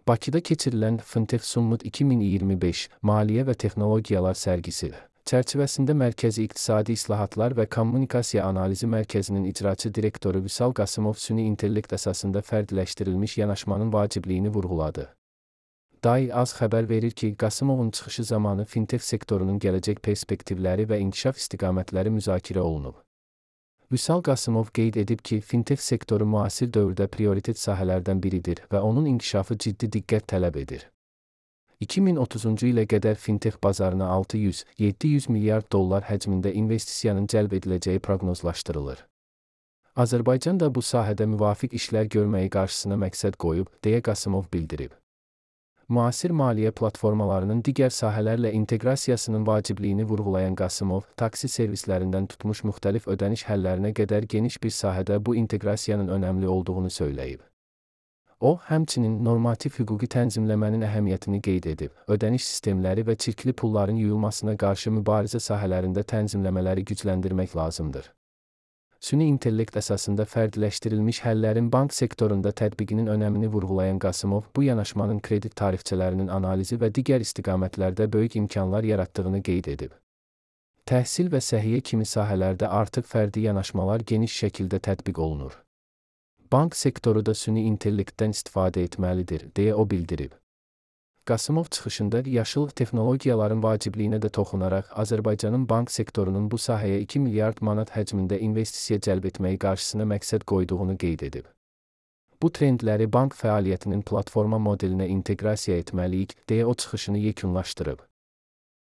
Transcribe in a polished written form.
Bakıda keçirilən Fintech Summit 2025 Maliyyə və Texnologiyalar sərgisi çərçivəsində Mərkəzi İqtisadi İslahatlar və Kommunikasiya Analizi Mərkəzinin icraçı direktoru Vüsal Qasımov süni intellekt əsasında fərdiləşdirilmiş yanaşmanın vacibliyini vurğuladı. DAI az xəbər verir ki, Qasımovun çıxışı zamanı fintech sektorunun gələcək perspektivləri və inkişaf istiqamətləri müzakirə olunub. Vüsal Qasımov qeyd edib ki, fintech sektoru müasir dövrdə prioritet sahələrdən biridir və onun inkişafı ciddi diqqət tələb edir. 2030-cu ilə qədər fintech bazarına 600-700 milyard dollar həcmində investisiyanın cəlb ediləcəyi proqnozlaşdırılır. Azərbaycan da bu sahədə müvafiq işlər görməyi qarşısına məqsəd qoyub, deyə Qasımov bildirib. Müasir maliyyə platformalarının digər sahələrlə inteqrasiyasının vacibliyini vurğulayan Qasımov, taksi servislərindən tutmuş müxtəlif ödəniş həllərinə qədər geniş bir sahədə bu inteqrasiyanın önəmli olduğunu söyləyib. O, həmçinin normativ hüquqi tənzimləmənin əhəmiyyətini qeyd edib, ödəniş sistemləri və çirkli pulların yuyulmasına qarşı mübarizə sahələrində tənzimləmələri gücləndirmək lazımdır. Süni intellekt əsasında fərdiləşdirilmiş həllərin bank sektorunda tətbiqinin önəmini vurğulayan Qasımov, bu yanaşmanın kredit tarifçələrinin analizi və digər istiqamətlərdə böyük imkanlar yaratdığını qeyd edib. Təhsil və səhiyyə kimi sahələrdə artıq fərdi yanaşmalar geniş şəkildə tətbiq olunur. Bank sektoru da süni intellektdən istifadə etməlidir, deyə o bildirib. Qasımov çıxışında yaşıl texnologiyaların vacibliyinə də toxunaraq, Azərbaycanın bank sektorunun bu sahəyə 2 milyard manat həcmində investisiya cəlb etməyi qarşısına məqsəd qoyduğunu qeyd edib. Bu trendləri bank fəaliyyətinin platforma modelinə inteqrasiya etməliyik, deyə o çıxışını yekunlaşdırıb.